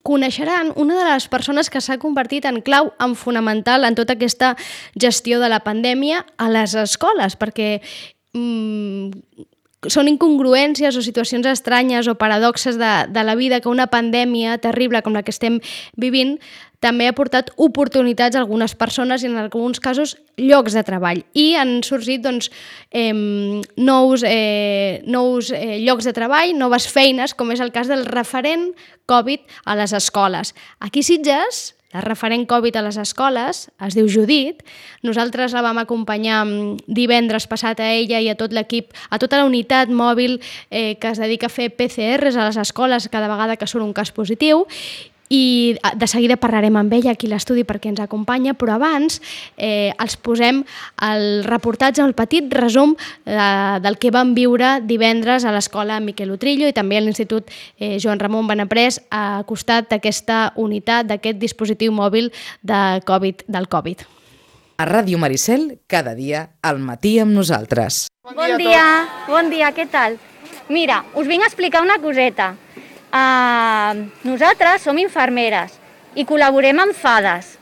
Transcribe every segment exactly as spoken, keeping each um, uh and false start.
coneixeran una de les persones que s'ha convertit en clau, en fonamental en tota aquesta gestió de la pandèmia a les escoles, perquè mmm, són incongruències o situacions estranyes o paradoxes de, de la vida que una pandèmia terrible com la que estem vivint també ha portat oportunitats a algunes persones i en alguns casos llocs de treball. I han sorgit doncs, eh, nous, eh, nous eh, llocs de treball, noves feines, com és el cas del referent Covid a les escoles. Aquí a Sitges, la referent Covid a les escoles es diu Judit. Nosaltres la vam acompanyar divendres passat a ella i a tot l'equip, a tota la unitat mòbil eh, que es dedica a fer P C Rs a les escoles cada vegada que surt un cas positiu. I de seguida parlarem amb ella aquí a l'estudi perquè ens acompanya, però abans eh, els posem el reportatge, el petit resum eh, del que vam viure divendres a l'escola Miquel Utrillo i també a l'Institut eh, Joan Ramon Benaprés a costat d'aquesta unitat, d'aquest dispositiu mòbil de Covid, del Covid. A Ràdio Maricel, cada dia al matí amb nosaltres. Bon dia, bon dia, què tal? Mira, us vinc a explicar una coseta. Uh, nosaltres som infermeres i col·laborem amb fades,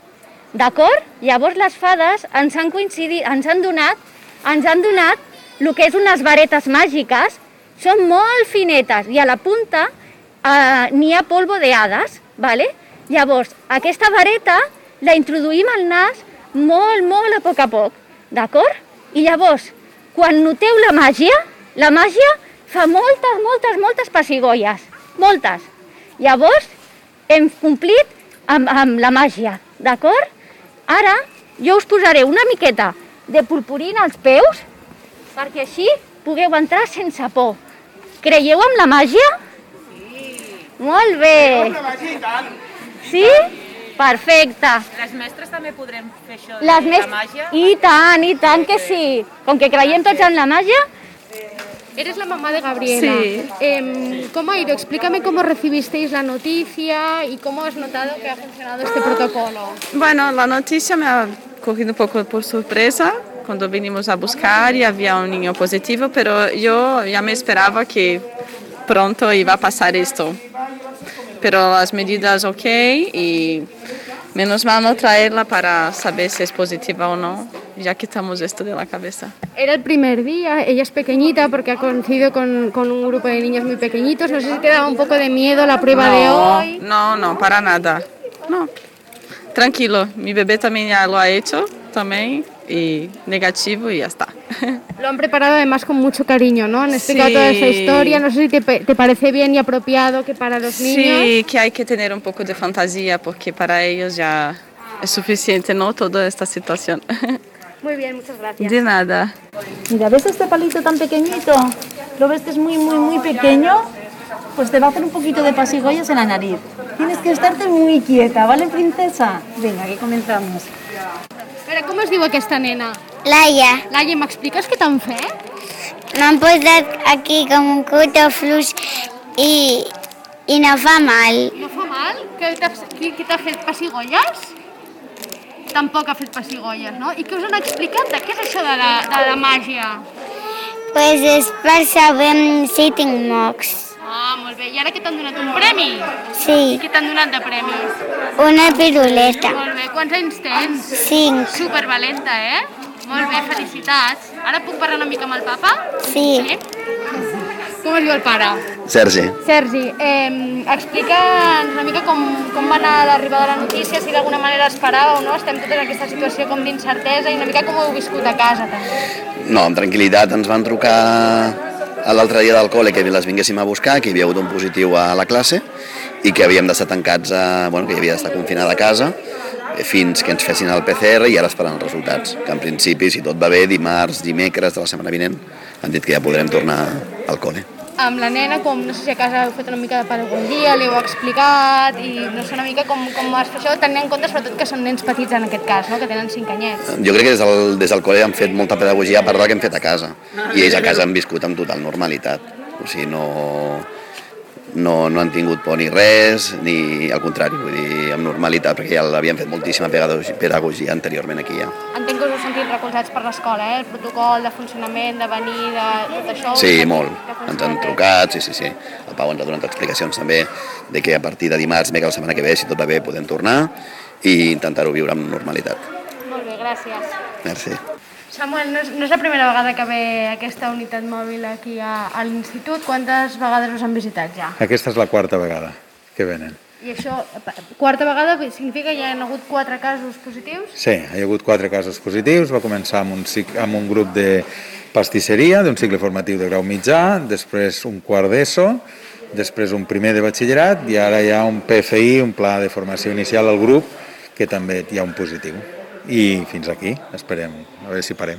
d'acord? Llavors les fades ens han coincidit, ens han donat, ens han donat el que és unes varetes màgiques, són molt finetes i a la punta uh, n'hi ha polvo de hades, ¿vale? Llavors aquesta vareta la introduïm al nas molt, molt a poc a poc, d'acord? I llavors, quan noteu la màgia, la màgia fa moltes, moltes, moltes pessigolles. Moltes. Llavors, hem complit amb, amb la màgia, d'acord? Ara, jo us posaré una miqueta de purpurina als peus perquè així pugueu entrar sense por. Creieu en la màgia? Sí. Molt bé. Creieu en la màgia i tant. Sí? Perfecte. Les mestres també podrem fer això de Les la mes... màgia? I tant, i tant que sí. Com que creiem tots en la màgia... Eres la mamá de Gabriela. Sí. Eh, ¿Cómo ha ido? Explícame cómo recibisteis la noticia y cómo has notado que ha funcionado este protocolo. Bueno, la noticia me ha cogido un poco por sorpresa cuando vinimos a buscar y había un niño positivo, pero yo ya me esperaba que pronto iba a pasar esto. Pero las medidas ok y menos mal no traerla para saber si es positiva o no. Ya quitamos esto de la cabeza. Era el primer día, ella es pequeñita porque ha coincidido con, con un grupo de niños muy pequeñitos. No sé si te daba un poco de miedo la prueba no, de hoy. No, no, para nada. No, tranquilo, mi bebé también ya lo ha hecho, también, y negativo y ya está. Lo han preparado además con mucho cariño, ¿no? Han explicado sí. toda esa historia. No sé si te, te parece bien y apropiado que para los niños... Sí, que hay que tener un poco de fantasía porque para ellos ya es suficiente, ¿no? Toda esta situación. Muy bien, muchas gracias. De nada. Mira, ¿ves este palito tan pequeñito? ¿Lo ves que es muy, muy, muy pequeño? Pues te va a hacer un poquito de pasigollas en la nariz. Tienes que estarte muy quieta, ¿vale, princesa? Venga, que comenzamos. Espera, com es diu aquesta nena? Laia, Laia, m'expliques què t'han fet? m'han posat aquí com un cuto fluix i, i no fa mal. No fa mal? Que t'ha, qui, qui t'ha fet pessigolles? Tampoc ha fet pessigolles, no? I què us han explicat? De què és això de la, de la màgia? Pues és per saber si tinc mocs. Ah, molt bé. I ara què t'han donat? Un premi? Sí, I què t'han donat de premis? una piruleta. Molt bé. Quants anys tens? Cinc. Supervalenta, eh? Molt bé, felicitats. Ara puc parlar una mica amb el papa? Sí. Sí? Com es diu el pare? Sergi. Sergi, eh, explica'ns una mica com, com va anar l'arribada de la notícia, si d'alguna manera esperàveu, no? Estem totes en aquesta situació com d'incertesa i una mica com ho heu viscut a casa, també. No, amb tranquil·litat. Ens van trucar l'altre dia del col·le que les vinguéssim a buscar, que hi havia hagut un positiu a la classe i que havíem d'estar tancats, a, bueno, que hi havia d'estar confinada a casa fins que ens fessin el P C R i ara esperant els resultats. Que en principi, si tot va bé, dimarts, dimecres de la setmana vinent, han dit que ja podrem tornar al col·le. Amb la nena, com no sé si a casa heu fet una mica de pedagogia, li heu explicat i no sé una mica com, com es fa això, tenint en compte sobretot que són nens petits en aquest cas, no? Que tenen cinc anyets. Jo crec que des del, des del col·le han fet molta pedagogia a part del que hem fet a casa i ells a casa han viscut amb total normalitat. O sigui, no, no, no han tingut por ni res, ni al contrari, vull dir, amb normalitat, perquè ja l'havien fet moltíssima pedagogia anteriorment aquí ja. Entenc que us heu sentit molt recolzats per l'escola, eh? El protocol de funcionament, de venir, de tot això. Sí, molt. Ens han trucat, sí, sí, sí. El Pau ens ha donat explicacions també de que a partir de dimarts, bé que la setmana que ve, si tot va bé, podem tornar i intentar-ho viure amb normalitat. Molt bé, gràcies. Merci. Samuel, no és, no és la primera vegada que ve aquesta unitat mòbil aquí a, a l'institut. Quantes vegades us han visitat ja? Aquesta és la quarta vegada que venen. I això, quarta vegada, significa que hi ha hagut quatre casos positius? Sí, hi ha hagut quatre casos positius. Va començar amb un, amb un grup de pastisseria, d'un cicle formatiu de grau mitjà, després un quart d'ESO, després un primer de batxillerat i ara hi ha un P F I, un pla de formació inicial al grup, que també hi ha un positiu. I fins aquí, esperem, a veure si parem.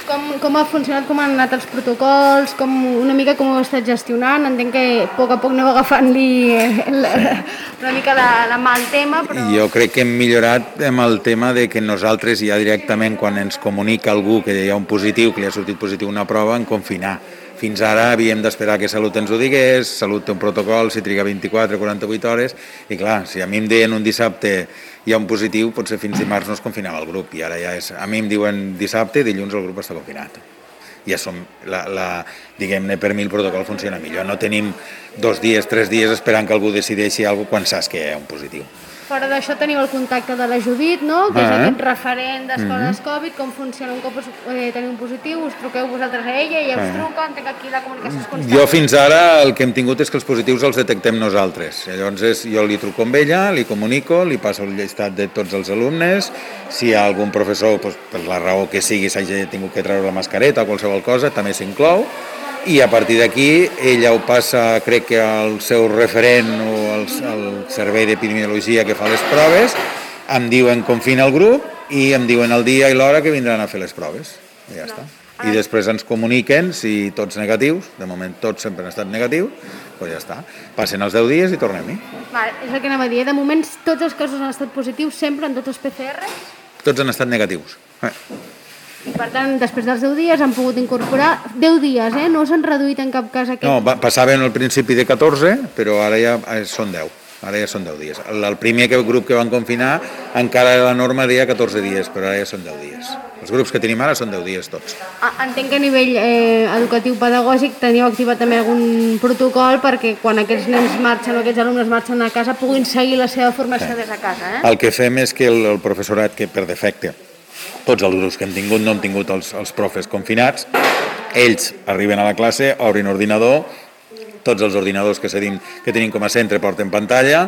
Com, com ha funcionat, com han anat els protocols, com, una mica com ho heu estat gestionant? Entenc que a poc a poc aneu agafant-li una mica la, la mà al tema, però... Jo crec que hem millorat amb el tema de que nosaltres ja directament, quan ens comunica algú que hi ha un positiu, que li ha sortit positiu una prova, en confinar. Fins ara havíem d'esperar que Salut ens ho digués, Salut té un protocol, si triga vint-i-quatre o quaranta-vuit hores, i clar, si a mi em deien un dissabte hi ha un positiu, potser fins dimarts no es confinava el grup, i ara ja és... A mi em diuen dissabte, dilluns el grup està confinat. Ja som, la, la, diguem-ne, per mi el protocol funciona millor. No tenim dos dies, tres dies esperant que algú decideixi alguna cosa quan saps que hi ha un positiu. Fora d'això teniu el contacte de la Judit, no? Que és ah, aquest referent d'escoles mm-hmm. Covid, com funciona un cop eh, teniu un positiu, us truqueu vosaltres a ella i ella us truca, entenc que aquí la comunicació és constant. Jo fins ara el que hem tingut és que els positius els detectem nosaltres. Llavors és, jo li truco amb ella, li comunico, li passo el llistat de tots els alumnes, si hi ha algun professor, doncs, per la raó que sigui, s'hagi tingut que treure la mascareta o qualsevol cosa, també s'inclou. I a partir d'aquí ella ho passa, crec que al seu referent o al, al servei d'epidemiologia que fa les proves, em diuen confina el grup i em diuen el dia i l'hora que vindran a fer les proves. I ja està. I després ens comuniquen si tots negatius, de moment tots sempre han estat negatius, doncs ja està. Passen els deu dies i tornem-hi. Vale, és el que anava a dir. De moment tots els casos han estat positius sempre en tots els P C Rs? Tots han estat negatius. Eh. I per tant, després dels deu dies han pogut incorporar deu dies, eh? No s'han reduït en cap cas aquest... No, va, passaven al principi de catorze, però ara ja són deu. Ara ja són deu dies. El, el primer grup que van confinar encara la norma deia catorze dies, però ara ja són deu dies. Els grups que tenim ara són deu dies tots. Entenc que a nivell eh, educatiu pedagògic teniu activat també algun protocol perquè quan aquests nens marxen o aquests alumnes marxen a casa puguin seguir la seva formació sí. des de casa, eh? El que fem és que el, el professorat, que per defecte tots els grups que hem tingut no hem tingut els, els profes confinats, ells arriben a la classe, obrin ordinador, tots els ordinadors que, cedim, que tenim com a centre porten pantalla,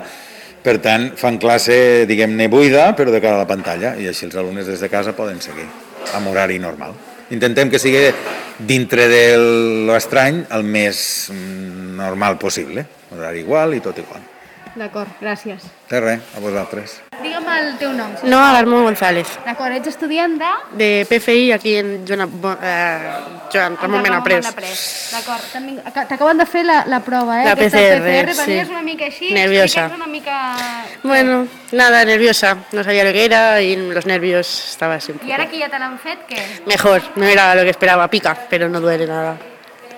per tant fan classe, diguem-ne, buida, però de cara a la pantalla, i així els alumnes des de casa poden seguir, amb horari normal. Intentem que sigui dintre de l'estrany el més normal possible, horari igual i tot igual. D'acord, gràcies. De res, a vosaltres. Digue'm el teu nom. No, Alarmo González. D'acord, ets estudiant de... De P F I aquí en Joan, eh, Joan Ramon Benaprés. D'acord, t'acaben de fer la, la prova, eh? La P C R, P C R, sí. Venies una mica així, nerviosa. Una mica... Bueno, nada, nerviosa. No sabía lo que era y los nervios estaba así un poco. ¿Y ahora que ya te la han fet, què? Mejor, no era lo que esperaba, pica, pero no duele nada.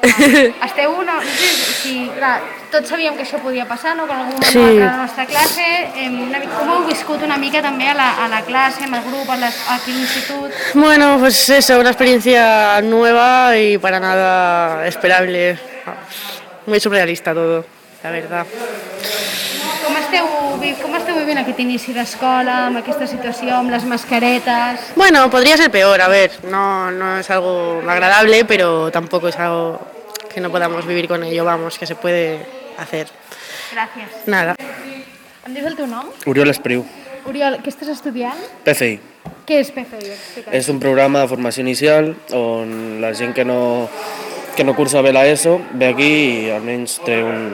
Ah, esteu una... No sé si, clar, tots sabíem que això podia passar, no? Que en algun moment sí. a la nostra classe, eh, una mica, com heu viscut una mica també a la, a la clase, amb el grup, a les, aquí a l'institut? Bueno, pues eso, una experiencia nueva y para nada esperable. Muy surrealista todo, la verdad. Com esteu, com esteu vivint aquest inici d'escola, amb aquesta situació, amb les mascaretes? Bueno, podría ser peor, a ver, no, no es algo agradable, pero tampoco es algo que no podamos vivir con ello, vamos, que se puede hacer. Gràcies. Nada. Em dius el teu nom? Oriol Espriu. Oriol, què estàs estudiant? P F I. Què és P F I? Explica't. És un programa de formació inicial on la gent que no, que no cursa bé l'ESO ve aquí i almenys té un,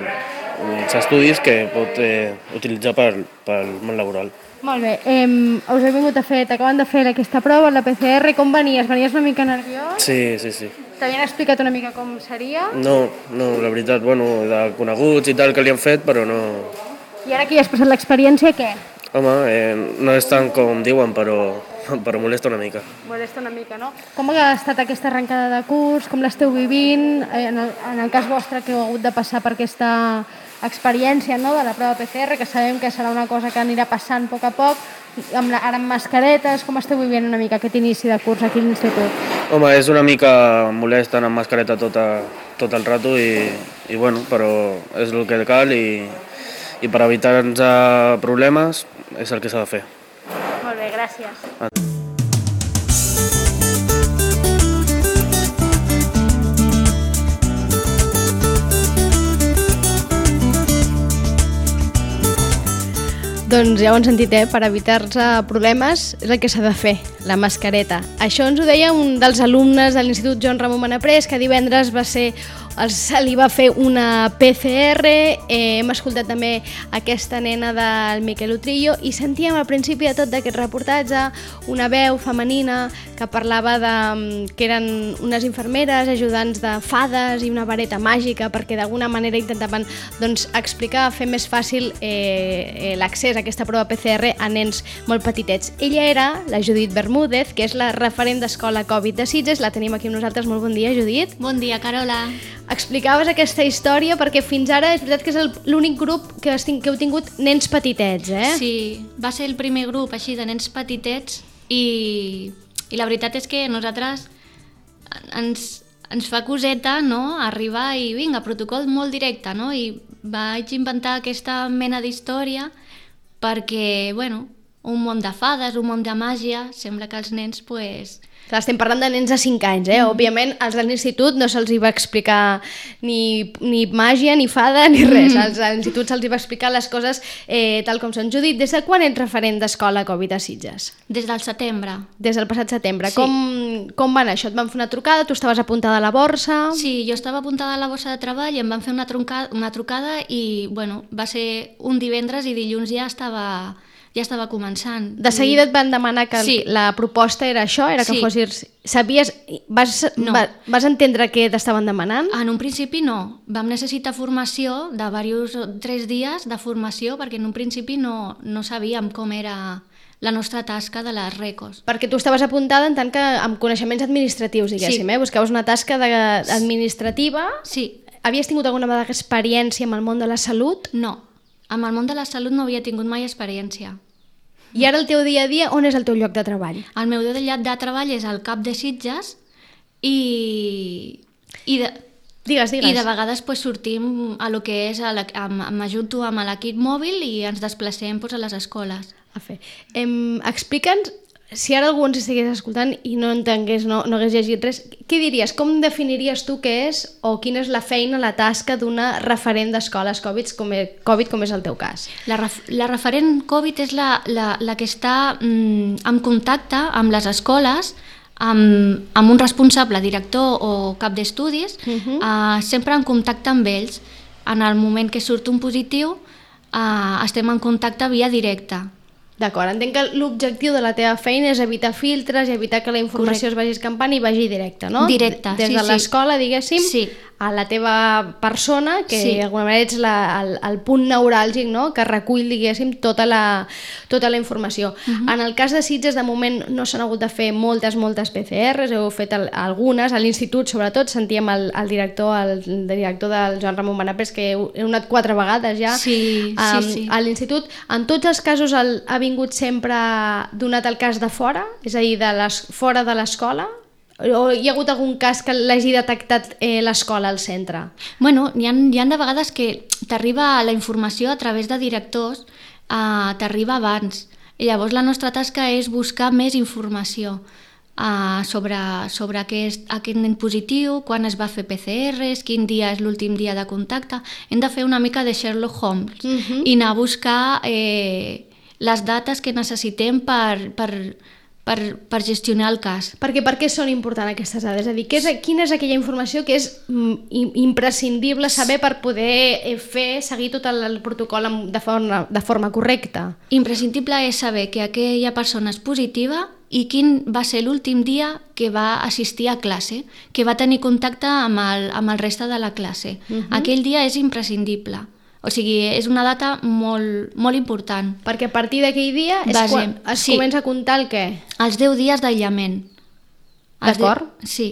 uns estudis que pot eh, utilitzar pel, pel món laboral. Molt bé, eh, us he vingut a fer, t'acaben de fer aquesta prova, la P C R, com venies? Venies una mica nerviós? Sí, sí, sí. T'havien explicat una mica com seria? No, no, la veritat, bueno, de coneguts i tal que li han fet, però no... I ara que ja has passat l'experiència, què? Home, eh, no és tant com diuen, però, però molesta una mica. Molesta una mica, no? Com ha estat aquesta arrencada de curs? Com l'esteu vivint? En el, en el cas vostre que heu hagut de passar per aquesta experiència, no?, de la prova P C R, que sabem que serà una cosa que anirà passant a poc a poc, amb la, ara amb mascaretes, com esteu vivint una mica aquest inici de curs aquí a l'institut? Home, és una mica molest anar amb mascareta tot, a, tot el rato i, i bueno, però és el que cal i, i per evitar-nos problemes és el que s'ha de fer. Molt bé, gràcies. Ah. Doncs ja ho han sentit, eh? Per evitar-se problemes és el que s'ha de fer, la mascareta. Això ens ho deia un dels alumnes de l'Institut Joan Ramon Benaprés, que divendres va ser, se li va fer una P C R, eh, hem escoltat també aquesta nena del Miquel Utrillo i sentíem al principi de tot d'aquest reportatge una veu femenina que parlava de que eren unes infermeres ajudants de fades i una vareta màgica perquè d'alguna manera intentaven doncs, explicar, fer més fàcil eh, l'accés a aquesta prova P C R a nens molt petitets. Ella era la Judit Bermúdez, que és la referent d'Escola Covid de Sitges. La tenim aquí amb nosaltres. Molt bon dia, Judit. Bon dia, Carola. Explicaves aquesta història perquè fins ara és veritat que és l'únic grup que, que heu tingut nens petitets, eh? Sí, va ser el primer grup així de nens petitets i, i la veritat és que nosaltres ens, ens fa coseta, no?, arribar i vinga, protocol molt directe, no? I vaig inventar aquesta mena d'història perquè, bueno, un món de fades, un món de màgia, sembla que els nens, pues... Clar, estem parlant de nens de cinc anys, eh? Mm. Òbviament, als de l'institut no se'ls va explicar ni, ni màgia, ni fada, ni res. Mm. Als de l'institut se'ls va explicar les coses eh, tal com són. Judit, des de quan ets referent d'Escola Covid a Sitges? Des del setembre. Des del passat setembre. Sí. Com, com va anar això? Et van fer una trucada? Tu estaves apuntada a la borsa? Sí, jo estava apuntada a la borsa de treball i em van fer una, truncada, una trucada i, bueno, va ser un divendres i dilluns ja estava... ja estava començant. De seguida et van demanar que sí. la proposta era això, era que sí. fossis... Sabies... Vas, no. va, vas entendre què t'estaven demanant? En un principi no. Vam necessitar formació de diversos, tres dies de formació perquè en un principi no, no sabíem com era la nostra tasca de les recos. Perquè tu estaves apuntada en tant que amb coneixements administratius, diguéssim, sí. eh? Buscaves una tasca de, administrativa. Sí. Havies tingut alguna vegada experiència amb el món de la salut? No. Amb el món de la salut no havia tingut mai experiència. I ara el teu dia a dia, on és el teu lloc de treball? El meu lloc de treball és al CAP de Sitges i, i, de, digues, digues. i de vegades pues, sortim a lo que és, m'ajunto amb l'equip mòbil i ens desplacem pues, a les escoles. A fer. Em, explica'ns, si ara algú ens estigués escoltant i no entengués, no, no hagués llegit res, què diries? Com definiries tu què és o quina és la feina, la tasca d'una referent d'escoles Covid com és, COVID, com és el teu cas? La, ref, la referent Covid és la, la, la que està mm, en contacte amb les escoles, amb, amb un responsable, director o cap d'estudis, uh-huh. uh, sempre en contacte amb ells. En el moment que surt un positiu, uh, estem en contacte via directa. D'acord, entenc que l'objectiu de la teva feina és evitar filtres i evitar que la informació Correcte. Es vagi escampant i vagi directa, no? Directe, Des sí, de l'escola, sí. diguéssim, sí. a la teva persona, que sí. d'alguna manera ets la, el, el punt neuràlgic, no?, que recull, diguéssim, tota la, tota la informació. Uh-huh. En el cas de Sitges, de moment, no s'han hagut de fer moltes, moltes P C Rs, heu fet el, algunes, a l'institut, sobretot, sentíem el, el director el, el director del Joan Ramon Benaprés, que heu, heu anat quatre vegades ja sí, um, sí, sí. a l'institut. En tots els casos el, ha vingut sempre donat el cas de fora, és a dir, de les, fora de l'escola? O hi ha hagut algun cas que l'hagi detectat eh, l'escola al centre? Bueno, hi ha, hi ha de vegades que t'arriba la informació a través de directors, eh, t'arriba abans. I llavors la nostra tasca és buscar més informació eh, sobre, sobre aquest, aquest nen positiu, quan es va fer P C Rs, quin dia és l'últim dia de contacte. Hem de fer una mica de Sherlock Holmes uh-huh. i anar a buscar eh, les dates que necessitem per... per Per, per gestionar el cas. Perquè per què són importants aquestes dades? És a dir, és, quina és aquella informació que és mm, imprescindible saber per poder fer, seguir tot el, el protocol de forma, de forma correcta? Imprescindible és saber que aquella persona és positiva i quin va ser l'últim dia que va assistir a classe, que va tenir contacte amb el, amb el reste de la classe. Uh-huh. Aquell dia és imprescindible. O sigui, és una data molt, molt important. Perquè a partir d'aquell dia és Basem. quan es sí. comença a comptar el què? Els deu dies d'aïllament. D'acord? De... Sí.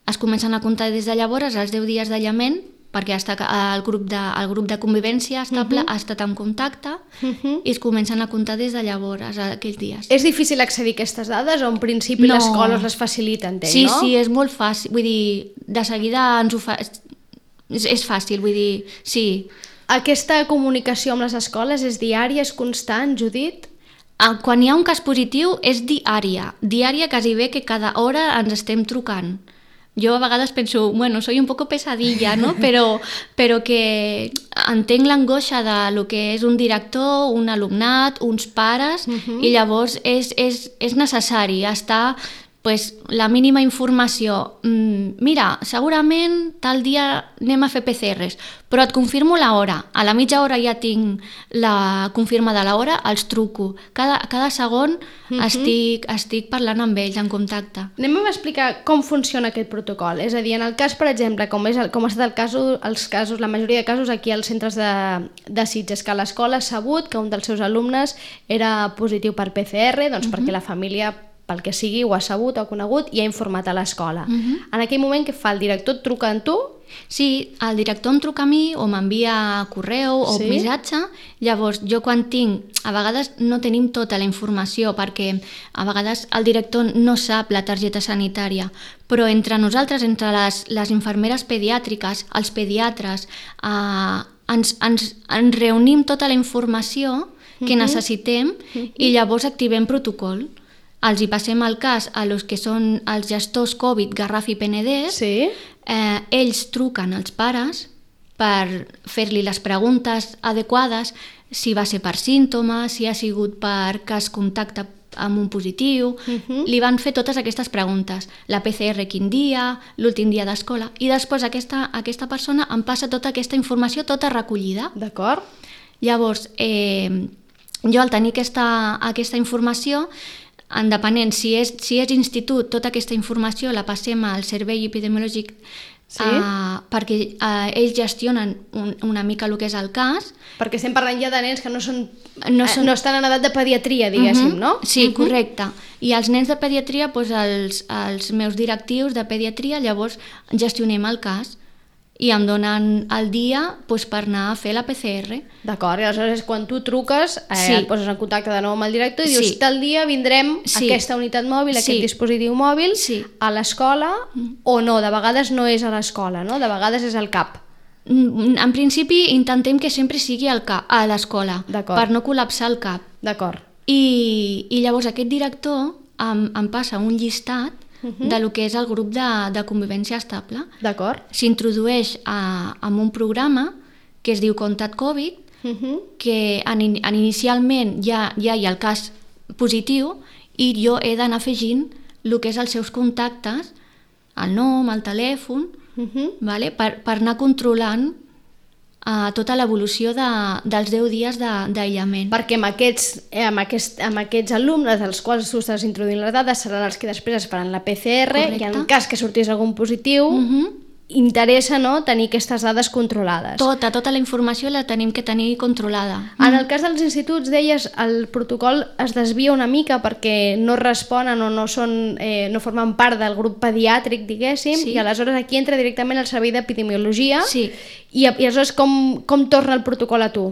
Es comencen a comptar des de llavors els deu dies d'aïllament perquè està, el, grup de, el grup de convivència estable uh-huh. ha estat en contacte uh-huh. i es comencen a comptar des de llavors, aquells dies. És difícil accedir a aquestes dades o en principi no. l'escola us les facilita, entenc, sí, no? Sí, sí, és molt fàcil, vull dir, de seguida ens ho fa... És, és fàcil, vull dir, sí. Aquesta comunicació amb les escoles és diària, és constant, Judit? Quan hi ha un cas positiu és diària, diària quasi bé que cada hora ens estem trucant. Jo a vegades penso, bueno, soy un poco pesadilla, no? Però, però que entenc l'angoixa de lo que és un director, un alumnat, uns pares, uh-huh. i llavors és, és, és necessari estar pues, la mínima informació. Mm, mira, segurament tal dia anem a fer P C Rs, però et confirmo l'hora. A la mitja hora ja tinc la confirmada l'hora, els truco. Cada, cada segon uh-huh. estic, estic parlant amb ells, en contacte. Anem a explicar com funciona aquest protocol. És a dir, en el cas, per exemple, com, és el, com ha estat el cas, els casos, la majoria de casos aquí als centres de, de Sitges, que l'escola ha sabut que un dels seus alumnes era positiu per P C R, doncs uh-huh. perquè la família, pel que sigui, ho ha sabut o ha conegut i ha informat a l'escola. Uh-huh. En aquell moment, què fa? El director et truca a tu? Sí, el director em truca a mi o m'envia correu o sí? missatge. Llavors, jo quan tinc... A vegades no tenim tota la informació perquè a vegades el director no sap la targeta sanitària, però entre nosaltres, entre les, les infermeres pediàtriques, els pediatres, eh, ens, ens, ens reunim tota la informació que uh-huh. necessitem uh-huh. i llavors activem protocol. Els hi passem el cas a los que són els gestors Covid, Garraf i Penedès, sí? eh, ells truquen als pares per fer-li les preguntes adequades, si va ser per símptomes, si ha sigut per cas contacte amb un positiu, uh-huh. li van fer totes aquestes preguntes, la P C R quin dia, l'últim dia d'escola, i després aquesta, aquesta persona em passa tota aquesta informació tota recollida. D'acord. Llavors, eh, jo al tenir aquesta, aquesta informació, en depenent, si és, si és institut, tota aquesta informació la passem al servei epidemiològic sí? uh, perquè uh, ells gestionen un, una mica el que és el cas. Perquè estem parlant ja de nens que no, són, no, són... no estan en edat de pediatria, diguéssim, uh-huh. no? Sí, uh-huh. correcte. I els nens de pediatria, doncs els, els meus directius de pediatria, llavors gestionem el cas i em donen el dia doncs, per anar a fer la P C R. D'acord, i aleshores quan tu truques eh, sí. et poses en contacte de nou amb el director i dius, sí. tal dia vindrem sí. a aquesta unitat mòbil, a sí. aquest dispositiu mòbil, sí. a l'escola, mm. o no, de vegades no és a l'escola, no? De vegades és al C A P. En principi intentem que sempre sigui al cap, a l'escola, per no col·lapsar el C A P. D'acord. I, I llavors aquest director em, em passa un llistat Uh-huh. de lo que és el grup de, de convivència estable. D'acord. S'introdueix a, a un programa que es diu Contact Covid, uh-huh. que en, en inicialment ja, ja hi ha el cas positiu i jo he d'anar afegint el que és els seus contactes, el nom, el telèfon, uh-huh. vale? per, per anar controlant a tota l'evolució de, dels deu dies d'aïllament. Perquè amb aquests, eh, amb, aquest, amb aquests alumnes dels quals tu estàs introduint les dades seran els que després es faran la P C R. Correcte. I en cas que sortís algun positiu uh-huh. interessa, no?, tenir aquestes dades controlades. Tota, tota la informació la tenim que tenir controlada. En el cas dels instituts, deies, el protocol es desvia una mica perquè no responen o no, són, eh, no formen part del grup pediàtric, diguéssim, sí. i aleshores aquí entra directament el servei d'epidemiologia. Sí. I, i aleshores com, com torna el protocol a tu?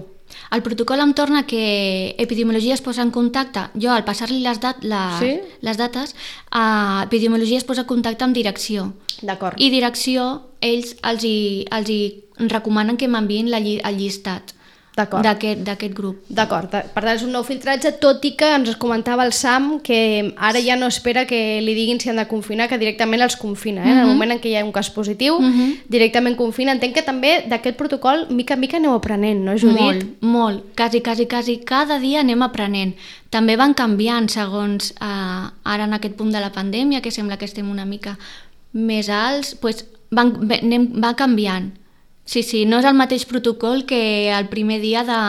El protocol em torna que epidemiologia es posa en contacte, jo al passar-li les, dat, les, sí? les dates, eh, epidemiologia es posa en contacte amb direcció. D'acord. I direcció, ells els hi, els hi recomanen que m'enviïn lli, el llistat d'aquest grup. D'acord, per tant és un nou filtratge, tot i que ens comentava el Sam que ara ja no espera que li diguin si han de confinar, que directament els confina, eh? Uh-huh. En el moment en què hi ha un cas positiu, uh-huh. directament confina. Entenc que també d'aquest protocol mica en mica aneu aprenent, no, Judit? Molt, molt, quasi, quasi, quasi, cada dia anem aprenent. També van canviant segons eh, ara en aquest punt de la pandèmia, que sembla que estem una mica més alts, doncs van, anem, va canviant. Sí, sí, no és el mateix protocol que el primer dia de,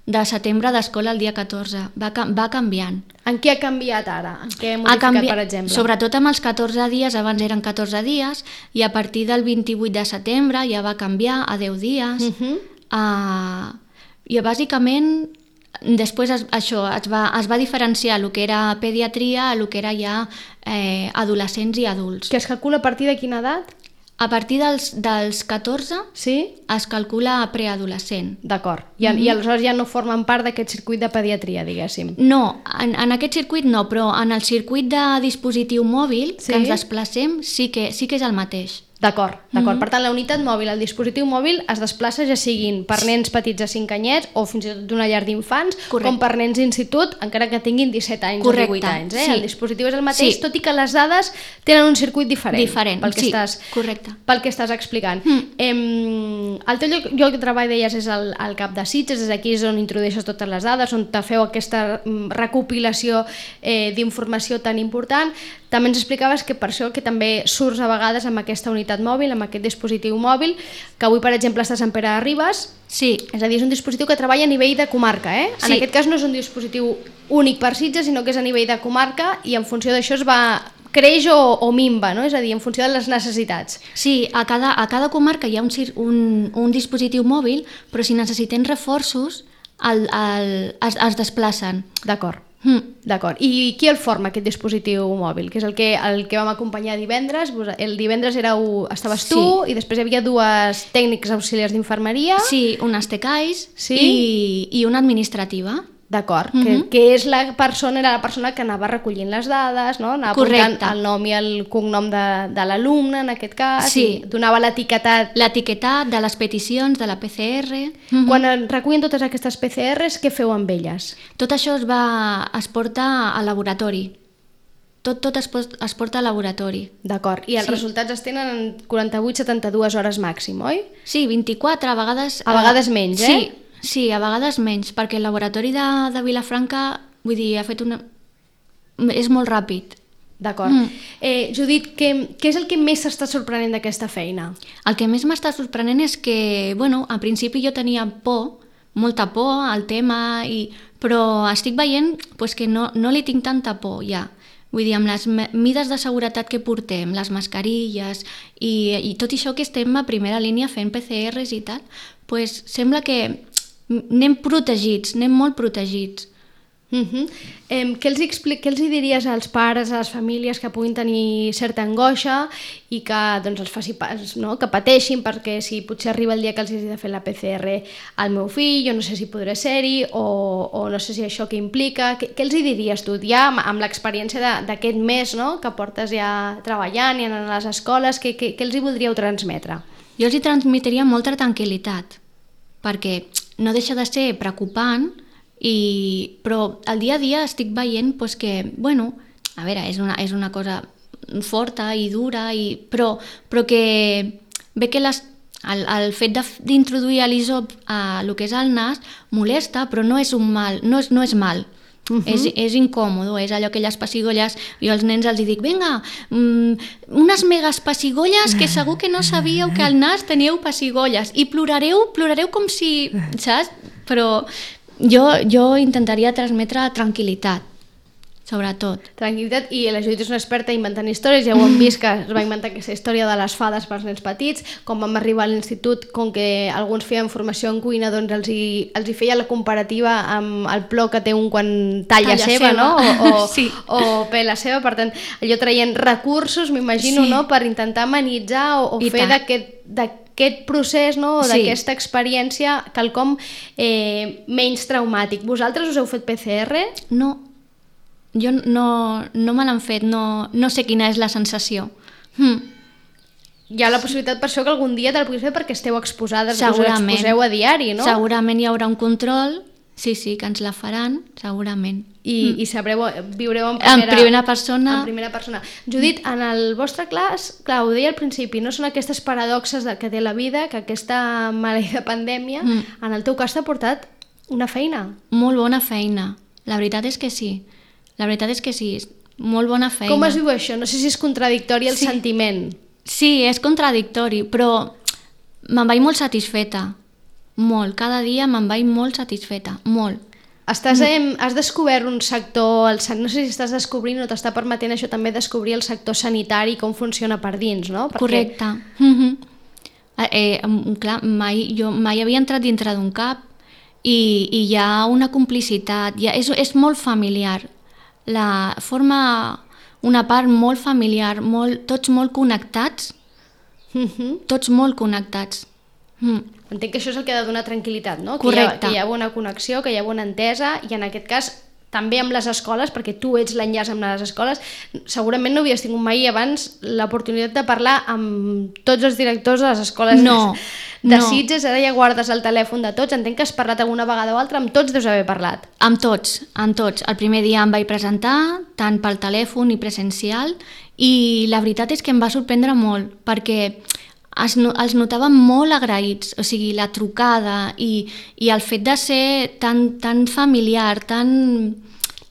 de setembre d'escola, el dia catorze. Va, va canviant. En què ha canviat ara? En què ha modificat, canvi... per exemple? Sobretot amb els catorze dies, abans eren catorze dies, i a partir del vint-i-vuit de setembre ja va canviar a deu dies. Uh-huh. uh, I bàsicament, després es, això, es va, es va diferenciar el que era pediatria a el que era ja eh, adolescents i adults. Que es calcula a partir de quina edat? A partir dels, dels catorze sí? es calcula preadolescent. D'acord. I, mm-hmm. I aleshores ja no formen part d'aquest circuit de pediatria, diguéssim. No, en, en aquest circuit no, però en el circuit de dispositiu mòbil sí? que ens desplacem sí que, sí que és el mateix. D'acord, d'acord. Mhm. Per tant, la unitat mòbil, el dispositiu mòbil, es desplaça ja siguin per nens petits de cinc anyets o fins i tot d'una llar d'infants, com per nens d'institut, encara que tinguin disset anys Correcte. o divuit anys. Eh? Sí. El dispositiu és el mateix, Sí. tot i que les dades tenen un circuit diferent. Diferent, pel que sí, estàs, correcte. Pel que estàs explicant. Mm. Em, el teu lloc, lloc de treball, deies, és el, el Cap de Sitges, és aquí és on introdueixes totes les dades, on te feu aquesta mm, recopilació eh, d'informació tan important. També ens explicaves que per això que també surts a vegades amb aquesta unitat mòbil, amb aquest dispositiu mòbil, que avui, per exemple, està a Sant Pere de Ribes. Sí. És a dir, és un dispositiu que treballa a nivell de comarca, eh? En Sí. aquest cas no és un dispositiu únic per Sitges, sinó que és a nivell de comarca i en funció d'això es va creix o, o minva, no? És a dir, en funció de les necessitats. Sí, a cada, a cada comarca hi ha un, cir- un, un dispositiu mòbil, però si necessitem reforços, el, el, es, es desplacen. D'acord. Mm. D'acord. I qui el forma, aquest dispositiu mòbil? Que és el que, el que vam acompanyar divendres. El divendres éreu, estaves tu Sí. i després hi havia dues tècnics auxiliars d'infermeria. Sí, unes tecais sí? i, i una administrativa. D'acord, Mhm. que, que és la persona, era la persona que anava recollint les dades, no? Anava apuntant Correcte. el nom i el cognom de, de l'alumne, en aquest cas, Sí. i donava l'etiquetat. L'etiquetat de les peticions, de la P C R. Mhm. Quan en recullen totes aquestes P C Rs, què feu amb elles? Tot això es, va, es porta al laboratori. Tot, tot es, pos- es porta al laboratori. D'acord, i els Sí. resultats es tenen en quaranta-vuit a setanta-dues hores màxim, oi? Sí, vint-i-quatre, a vegades... A vegades menys, eh? Sí, sí, a vegades menys, perquè el laboratori de, de Vilafranca, vull dir, ha fet una... és molt ràpid. D'acord. Mm. Eh, Judit, què, què és el que més s'està sorprenent d'aquesta feina? El que més m'està sorprenent és que, bueno, al principi jo tenia por, molta por al tema, i... però estic veient pues, que no, no li tinc tanta por ja. Vull dir, amb les me- mides de seguretat que portem, les mascarilles i, i tot això que estem a primera línia fent P C Rs i tal, pues, sembla que anem protegits, anem molt protegits. Uh-huh. Eh, què, els expli- què els hi diries als pares, a les famílies que puguin tenir certa angoixa i que doncs, els faci pas, no? Que pateixin perquè si potser arriba el dia que els hagi de fer la P C R al meu fill, jo no sé si podré ser-hi o, o no sé si això què implica, què, què els hi diries tu ja amb, amb l'experiència de- d'aquest mes, no? Que portes ja treballant i anant a les escoles, què, què, què els hi voldríeu transmetre? Jo els hi transmetria molta tranquil·litat, perquè no deixa de ser preocupant, i, però al dia a dia estic veient pues, que, bueno, a veure, és una, és una cosa forta i dura, i, però, però que ve que les, el, el fet de- d'introduir l'isop a lo que és el nas molesta, però no és un mal, no és, no és mal. Uh-huh. És, és incòmodo, és allò que les pessigolles, jo als nens els dic, vinga, mm, unes megas pessigolles que segur que no sabíeu que al nas teníeu pessigolles i plorareu, plorareu com si, saps? Però jo, jo intentaria transmetre tranquil·litat, sobretot. Tranquil·litat, i la Judit és una experta inventant històries, ja ho hem vist que es va inventar aquesta història de les fades pels nens petits, com vam arribar a l'institut, com que alguns feien formació en cuina, doncs els hi, els hi feia la comparativa amb el plor que té un quan talla, Talla seva, seva. no? O, o, Sí. o pela seva, per tant, allò traient recursos, m'imagino, Sí. no?, per intentar amenitzar o, o I fer tant. d'aquest d'aquest procés, no?, o Sí. d'aquesta experiència quelcom eh, menys traumàtic. Vosaltres us heu fet P C R? No, jo no, no me l'han fet, no, no sé quina és la sensació. Hm. Hi ha la possibilitat per això que algun dia te la puguis fer perquè esteu exposades, us Segurament. exposeu a diari, no? Segurament hi haurà un control, sí, sí, que ens la faran, segurament. I, i sabreu, viureu en En primera, primera persona. En primera persona. Judit, en el vostre clas, clar, ho deia al principi, no són aquestes paradoxes de, que té la vida, que aquesta maleïda pandèmia, Mm. en el teu cas t'ha portat una feina. Molt bona feina, la veritat és que sí. La veritat és que sí, molt bona feina. Com es diu això? No sé si és contradictori el Sí. sentiment. Sí, és contradictori, però me'n vaig molt satisfeta. Molt, cada dia me'n vaig molt satisfeta, molt. Estàs, eh, has descobert un sector, el, san- no sé si estàs descobrint o t'està permetent això també descobrir el sector sanitari, com funciona per dins, no? Perquè- Correcte. Mm-hmm. eh, eh, em- clar, mai, jo mai havia entrat dintre d'un cap i, i hi ha una complicitat, hi ha, és, és molt familiar. La forma una part molt familiar, molt, tots molt connectats. Mm-hmm. Tots molt connectats. Mm. Entenc que això és el que ha de donar tranquil·litat, no? Correcte. Que hi, ha, que hi ha bona connexió, que hi ha bona entesa, i en aquest cas també amb les escoles, perquè tu ets l'enllaç amb les escoles. Segurament no havies tingut mai abans l'oportunitat de parlar amb tots els directors de les escoles no, de no. Sitges, ara ja guardes el telèfon de tots, entenc que has parlat alguna vegada o altra, amb tots deus haver parlat. Amb tots, amb tots. El primer dia em vaig presentar, tant pel telèfon i presencial, i la veritat és que em va sorprendre molt, perquè es, els notava molt agraïts, o sigui, la trucada i, i el fet de ser tan, tan familiar, tan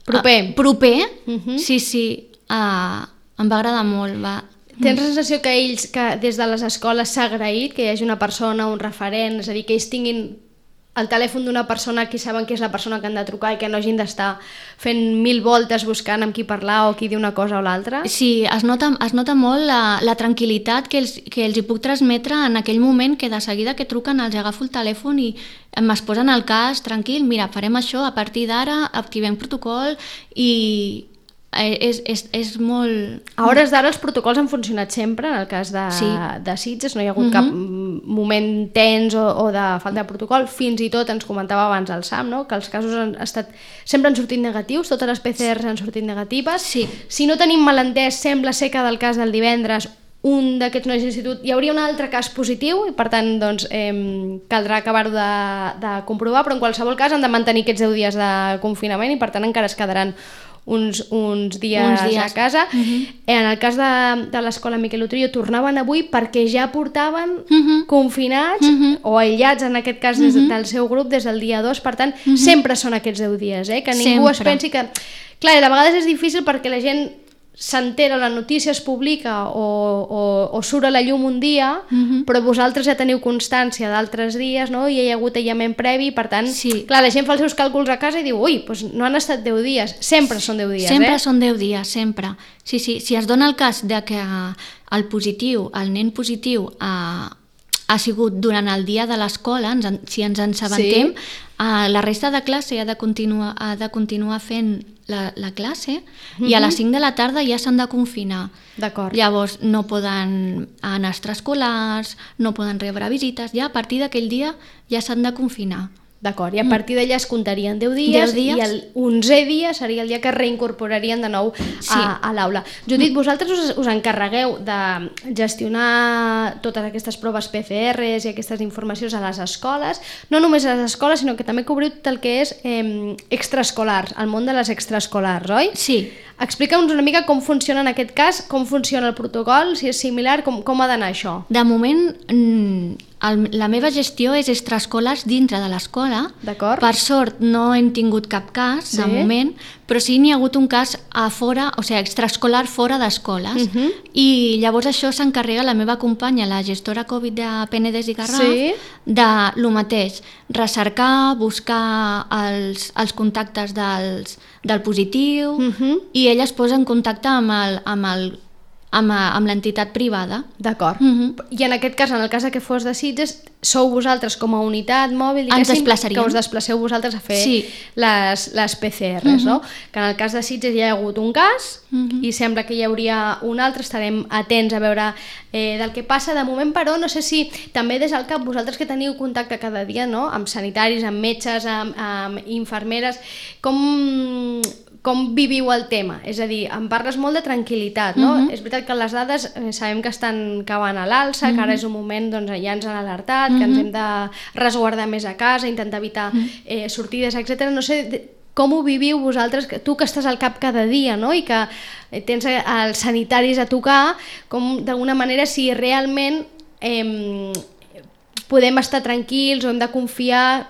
proper, uh, proper uh-huh. sí, sí, uh, em va agradar molt. Va. Tens la sensació que ells, que des de les escoles s'ha agraït que hi hagi una persona, un referent, és a dir, que ells tinguin el telèfon d'una persona que saben que és la persona que han de trucar i que no hagin d'estar fent mil voltes buscant amb qui parlar o qui dir una cosa o l'altra? Sí, es nota, es nota molt la, la tranquil·litat que els, que els hi puc transmetre en aquell moment, que de seguida que truquen els agafo el telèfon i es posen al cas, tranquil, mira, farem això, a partir d'ara activem protocol i... És, és, és molt... A hores d'ara els protocols han funcionat sempre, en el cas de, sí. de Sitges, no hi ha hagut uh-huh. cap moment tens o, o de falta de protocol, fins i tot ens comentava abans el Sam, no? Que els casos han estat, sempre han sortit negatius, totes les P C Rs han sortit negatives. Sí. Si no tenim malentès, sembla ser que del cas del divendres un d'aquests nois d'institut hi hauria un altre cas positiu i per tant doncs, eh, caldrà acabar-ho de, de comprovar, però en qualsevol cas han de mantenir aquests deu dies de confinament i per tant encara es quedaran Uns, uns, dies uns dies a casa. Uh-huh. En el cas de, de l'escola Miquel Utrillo tornaven avui perquè ja portaven uh-huh. confinats uh-huh. o aïllats, en aquest cas des uh-huh. del seu grup, des del dia dos, per tant uh-huh. sempre són aquests deu dies, eh? Que ningú sempre. Es pensi que... Clar, de vegades és difícil perquè la gent s'entera, la notícia es publica o, o, o surt a la llum un dia, uh-huh. però vosaltres ja teniu constància d'altres dies, no? I hi ha hagut aïllament previ, per tant, sí. clar, la gent fa els seus càlculs a casa i diu, ui, doncs no han estat deu dies, sempre són deu dies, sempre eh? Sempre són deu dies, sempre. Sí, sí, si es dona el cas de que el positiu, el nen positiu, ha, ha sigut durant el dia de l'escola, si ens en assabentem, sí. uh, la resta de classe ha de continuar, ha de continuar fent la, la classe uh-huh. i a les cinc de la tarda ja s'han de confinar. D'acord. Llavors no poden anar a extraescolars, no poden rebre visites, ja a partir d'aquell dia ja s'han de confinar. D'acord, i a partir d'allà es comptarien deu dies, dies i el onzè dia seria el dia que reincorporarien de nou a, sí. a l'aula. Judit, vosaltres us, us encarregueu de gestionar totes aquestes proves P C Rs i aquestes informacions a les escoles, no només a les escoles, sinó que també cobriu tot el que és eh, extraescolars, el món de les extraescolars, oi? Sí. Explica'ns una mica com funciona en aquest cas, com funciona el protocol, si és similar, com, com ha d'anar això. De moment, el, la meva gestió és extraescolars dintre de l'escola. D'acord. Per sort no hem tingut cap cas, sí. de moment, però sí n'hi ha hagut un cas a fora, o sigui, extraescolar fora d'escoles. Uh-huh. I llavors això s'encarrega la meva companya, la gestora Covid de Penedès i Garraf, sí. de lo mateix, recercar, buscar els, els contactes dels, del positiu, uh-huh. i ella es posa en contacte amb el, amb el amb, amb l'entitat privada. D'acord. Uh-huh. I en aquest cas, en el cas que fos de Sitges, sou vosaltres com a unitat mòbil, ens desplaçaríem, que us desplaceu vosaltres a fer sí. les, les P C Rs, uh-huh. no? Que en el cas de Sitges ja hi ha hagut un cas uh-huh. i sembla que hi hauria un altre, estarem atents a veure eh, del que passa. De moment, però, no sé si també des del cap, vosaltres que teniu contacte cada dia, no? Amb sanitaris, amb metges, amb, amb infermeres, com... com viviu el tema? És a dir, em parles molt de tranquil·litat, no? Uh-huh. És veritat que les dades eh, sabem que estan cavant a l'alça, uh-huh. que ara és un moment, doncs ja ens han alertat, uh-huh. que ens hem de resguardar més a casa, intentar evitar eh, sortides, etcètera. No sé com ho viviu vosaltres, tu que estàs al cap cada dia, no? I que tens els sanitaris a tocar, com d'alguna manera si realment eh, podem estar tranquils o hem de confiar...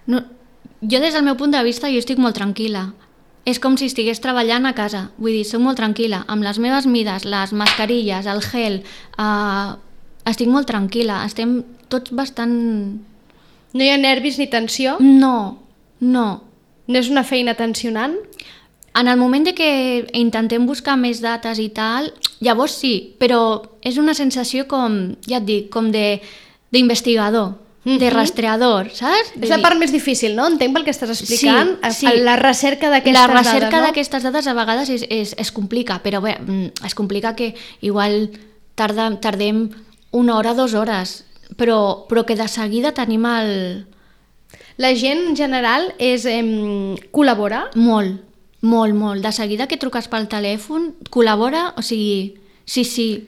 No, jo des del meu punt de vista jo estic molt tranquil·la. És com si estigués treballant a casa, vull dir, soc molt tranquil·la, amb les meves mides, les mascarilles, el gel, eh, estic molt tranquil·la, estem tots bastant... No hi ha nervis ni tensió? No, no. No és una feina tensionant? En el moment de que intentem buscar més dates i tal, llavors sí, però és una sensació com, ja et dic, com de d'investigador. De rastreador, saps? És la part més difícil, no? Entenc pel que estàs explicant. Sí, sí. La recerca d'aquestes dades, no? La recerca d'aquestes dades a vegades és, és, es complica, però bé, es complica que igual tarda, tardem una hora, dues hores, però, però que de seguida tenim el... La gent en general és, eh, col·labora? Molt, molt, molt. De seguida que truques pel telèfon, col·labora, o sigui, sí, sí.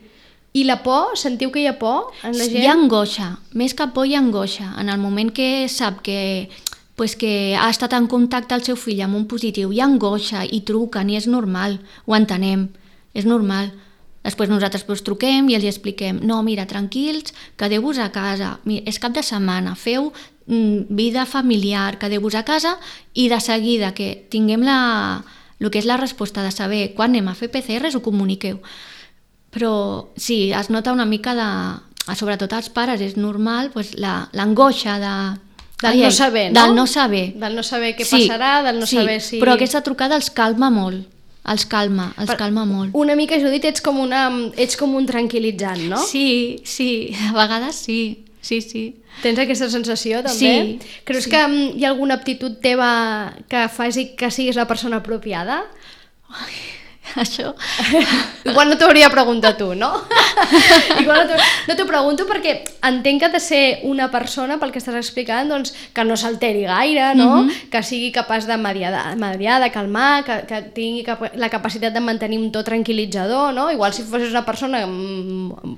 I la por? Sentiu que hi ha por en la gent? Hi ha angoixa, més que por hi ha angoixa. En el moment que sap que, pues que ha estat en contacte el seu fill amb un positiu, hi ha angoixa i truquen i és normal, ho entenem, és normal. Després nosaltres pues, truquem i els expliquem, no, mira, tranquils, quedeu-vos a casa, mira, és cap de setmana, feu mm, vida familiar, quedeu-vos a casa i de seguida que tinguem la, el que és la resposta de saber quan anem a fer P C Rs ho comuniqueu. Però sí, es nota una mica de, sobretot als pares, és normal pues, l'angoixa de... Del no saber, no? Del no saber. Del no saber què sí, passarà, del no sí, saber si... però aquesta trucada els calma molt. Els calma, els per, calma molt. Una mica, Judit, ets com, una, ets com un tranquil·litzant, no? Sí, sí, a vegades sí, sí, sí. Tens aquesta sensació, també? Sí. Creus sí. que hi ha alguna aptitud teva que faci que siguis la persona apropiada? Ai, això... Igual no t'ho hauria de preguntar tu, no? Igual no, no t'ho pregunto perquè entenc que ha de ser una persona, pel que estàs explicant, doncs, que no s'alteri gaire, no? Mm-hmm. Que sigui capaç de mediar, mediar de calmar, que, que tingui cap la capacitat de mantenir un to tranquil·litzador, no? Igual si fossis una persona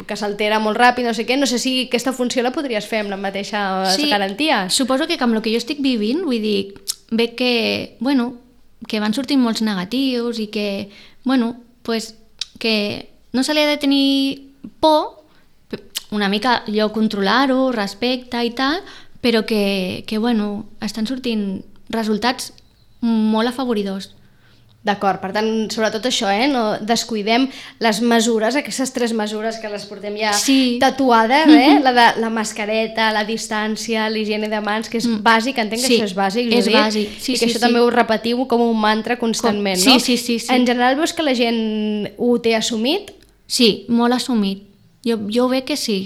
que s'altera molt ràpid, no sé què, no sé si aquesta funció la podries fer amb la mateixa sí, garantia. Suposo que amb el que jo estic vivint, vull dir, veig que, bueno, que van sortint molts negatius i que, bueno, pues, que no se li ha de tenir por, una mica allò controlar-ho, respecte i tal, però que, que, bueno, estan sortint resultats molt afavoridors. D'acord, per tant, sobretot això, eh? No descuidem les mesures, aquestes tres mesures que les portem ja sí. tatuades, eh? La de la mascareta, la distància, l'higiene de mans, que és mm. bàsic, entenc que sí. això és bàsic, és Judit, bàsic. Sí, i que sí, això sí. també ho repetiu com un mantra constantment, com... no? Sí, sí, sí, sí. En general veus que la gent ho té assumit? Sí, molt assumit. Jo, jo veig que sí.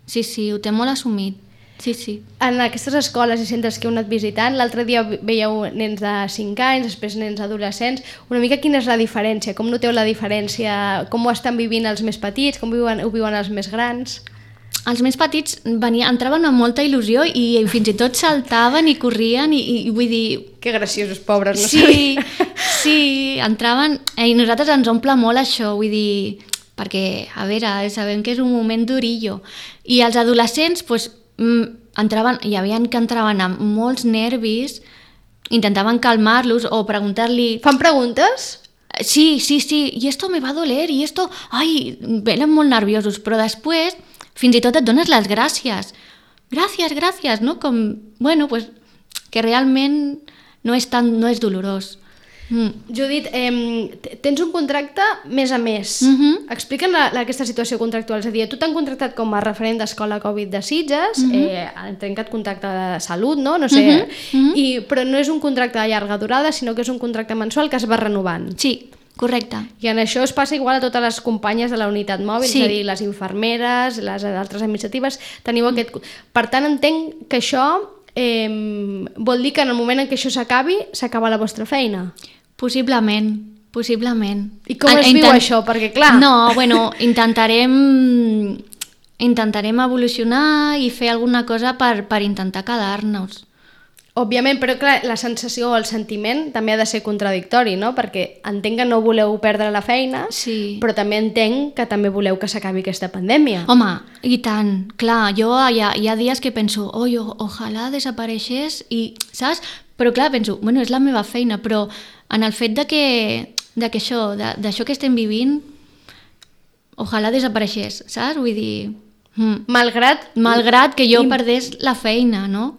Sí, sí, ho té molt assumit. Sí, sí. En aquestes escoles i centres que heu anat visitant, l'altre dia veieu nens de cinc anys, després nens adolescents, una mica quina és la diferència? Com noteu la diferència? Com ho estan vivint els més petits? Com viuen, ho viuen els més grans? Els més petits venia, entraven amb molta il·lusió i fins i tot saltaven i corrien i, i vull dir... Que graciosos, pobres, no sí, sabia. Sí, entraven... I nosaltres ens omple molt això, vull dir... Perquè, a veure, sabem que és un moment durillo. I els adolescents, doncs, entraven, hi havia que entraven amb molts nervis, intentaven calmar-los o preguntar-li... Fan preguntes? Sí, sí, sí, i esto me va a doler, i esto... Ai, venen molt nerviosos, però després fins i tot et dones les gràcies. Gràcies, gràcies, no? Com, bueno, pues, que realment no és tan, no és dolorós. Mm. Judit, eh, tens un contracte mes a mes. Mm-hmm. Explica'm la, la, aquesta situació contractual. És a dir, tu t'han contractat com a referent d'Escola Covid de Sitges, mm-hmm. eh, han trencat contracte de salut, no? No sé, mm-hmm. i, però no és un contracte de llarga durada, sinó que és un contracte mensual que es va renovant. Sí, correcte. I en això es passa igual a totes les companyes de la unitat mòbil, sí. És a dir, les infermeres, les altres administratives, teniu mm. aquest... Per tant, entenc que això eh, vol dir que en el moment en què això s'acabi, s'acaba la vostra feina. Possiblement, possiblement. I com es Intent... viu això? Perquè, clar... No, bueno, intentarem, intentarem evolucionar i fer alguna cosa per, per intentar quedar-nos. Òbviament, però clar, la sensació o el sentiment també ha de ser contradictori, no? Perquè entenc que no voleu perdre la feina, sí. Però també entenc que també voleu que s'acabi aquesta pandèmia. Home, i tant, clar, jo hi ha, hi ha dies que penso, oi, ojalà desapareixés i, saps? Però clar, penso, bueno, és la meva feina, però en el fet de que, de que això, d'això que estem vivint, ojalà desapareixés, saps? Vull dir... Mm. Malgrat... Malgrat que jo I... perdés la feina, no?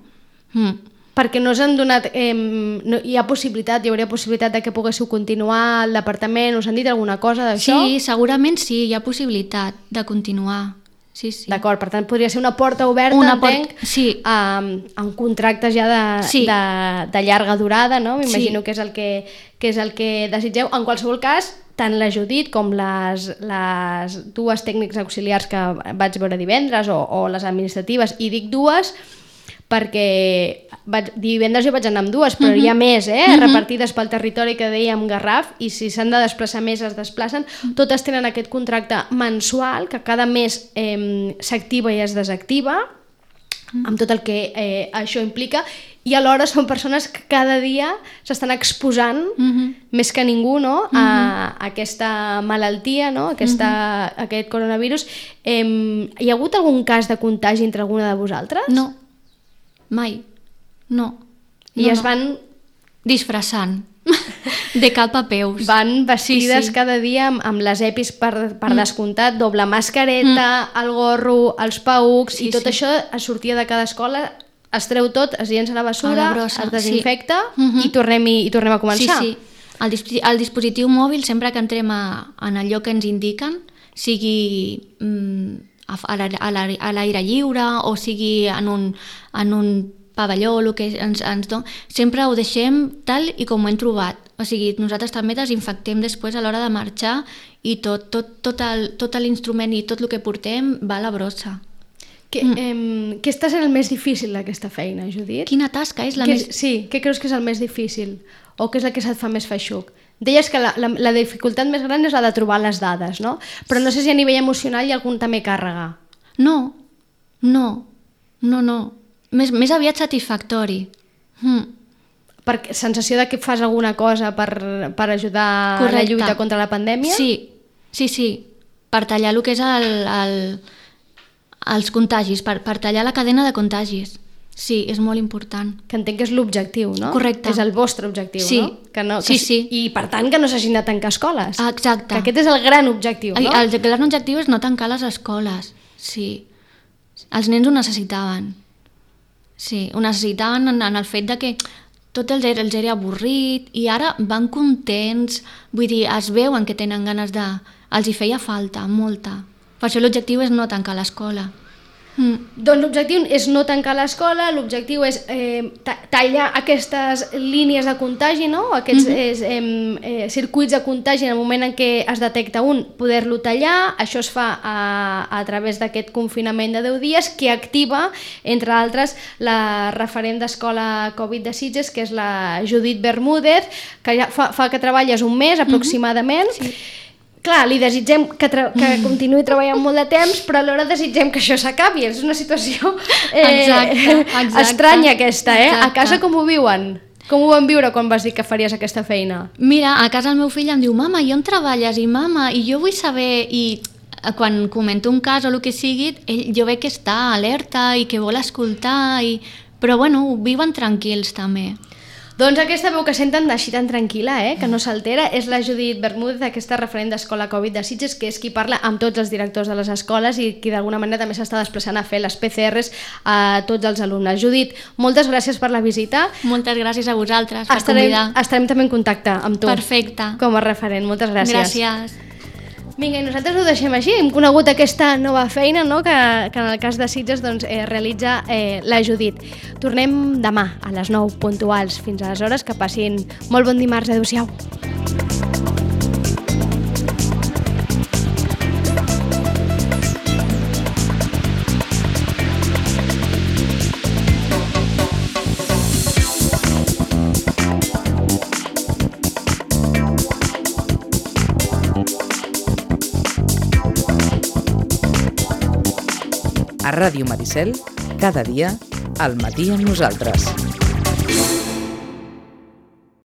Mm. Perquè no us han donat... Eh, no, hi ha possibilitat, hi hauria possibilitat de que poguéssiu continuar al departament, us han dit alguna cosa d'això? Sí, segurament sí, hi ha possibilitat de continuar. Sí, sí. D'acord, per tant podria ser una porta oberta, una entenc, port... sí. a, a un contracte ja de, sí. de, de llarga durada, no? M'imagino sí. que, és el que, que és el que desitgeu. En qualsevol cas, tant la Judit com les, les dues tècnics auxiliars que vaig veure divendres o, o les administratives, i dic dues perquè vaig, divendres jo vaig anar amb dues, però Uh-huh. hi ha més, eh? Uh-huh. repartides pel territori que dèiem Garraf, i si s'han de desplaçar més es desplacen. Totes tenen aquest contracte mensual que cada mes eh, s'activa i es desactiva, amb tot el que eh, això implica, i alhora són persones que cada dia s'estan exposant Uh-huh. més que ningú, no? a, a aquesta malaltia, no? aquesta, uh-huh. aquest coronavirus. Eh, hi ha hagut algun cas de contagi entre alguna de vosaltres? No, mai, no. I no, es no. van... disfressant, de cap a peus. Van vestides Sí, sí. cada dia amb, amb les EPIs per, per Mm. descomptat, doble mascareta, el gorro, els paucs, Sí, i tot sí. això es sortia de cada escola, es treu tot, es llença a la A bessura, la brossa, es desinfecta sí. Mhm. i, tornem, i tornem a començar. Sí, sí. El, dispositiu, el dispositiu mòbil, sempre que entrem a, en el lloc que ens indiquen, sigui mm, a, a l'aire- a l'aire a l'aire lliure o sigui en un, en un pavelló, el que ens, ens don... sempre ho deixem tal i com ho hem trobat. O sigui, nosaltres també desinfectem després a l'hora de marxar i tot, tot, tot el- tot l'instrument i tot el que portem va a la brossa. Què, mm. eh, què està sent el més difícil d'aquesta feina, Judit? Quina tasca és la Què més... Sí, què creus que és el més difícil? O què és el que se't fa més feixuc? Deies que la, la, la dificultat més gran és la de trobar les dades, no? Però no sé si a nivell emocional hi ha algun també càrrega. No, no, no, no. Més, més aviat satisfactori. Mm. Per sensació de que fas alguna cosa per, per ajudar Correcte. a la lluita contra la pandèmia? Sí, sí, sí. Per tallar el que és el, el, els contagis, per, per tallar la cadena de contagis. Sí, és molt important. Que entenc que és l'objectiu, no? Correcte. És el vostre objectiu, Sí. no? Que no Sí, que, sí. I per tant que no s'hagin de tancar escoles. Exacte. Que aquest és el gran objectiu, no? El, el gran objectiu és no tancar les escoles. Sí. Els nens ho necessitaven. Sí, ho necessitaven en, en el fet de que tot els era, els era avorrit i ara van contents, vull dir, es veuen que tenen ganes de... Els hi feia falta, molta. Per això l'objectiu és no tancar l'escola. Mm. Doncs l'objectiu és no tancar l'escola, l'objectiu és eh, ta- tallar aquestes línies de contagi, no? Aquests Mhm. és, eh, eh, circuits de contagi en el moment en què es detecta un, poder-lo tallar. Això es fa a, a través d'aquest confinament de deu dies que activa, entre altres, la referent d'escola Covid de Sitges, que és la Judit Bermúdez, que ja fa, fa que treballes un mes aproximadament. Sí. Clar, li desitgem que, tra que continuï treballant molt de temps, però alhora desitgem que això s'acabi. És una situació eh, Exacte, exacte. estranya aquesta, eh? Exacte. A casa com ho viuen? Com ho van viure quan vas dir que faries aquesta feina? Mira, a casa el meu fill em diu mama, i on treballes? I mama, i jo vull saber... I quan comento un cas o el que sigui, ell, jo veig que està alerta i que vol escoltar, i... però bueno, ho viuen tranquils també. Doncs aquesta veu que senten així tan tranquil·la, eh, que no s'altera, és la Judit Bermúdez, aquesta referent d'Escola Covid de Sitges, que és qui parla amb tots els directors de les escoles i qui d'alguna manera també s'està desplaçant a fer les P C Rs a tots els alumnes. Judit, moltes gràcies per la visita. Moltes gràcies a vosaltres per Estarem, convidar. estarem també en contacte amb tu. Perfecte. Com a referent. Moltes gràcies. Gràcies. Vinga, i nosaltres ho deixem així. Hem conegut aquesta nova feina, no?, que, que en el cas de Sitges doncs, eh, realitza eh, la Judit. Tornem demà a les nou puntuals. Fins aleshores, que passin molt bon dimarts. Adéu-siau. A Ràdio Maricel, cada dia, al matí amb nosaltres.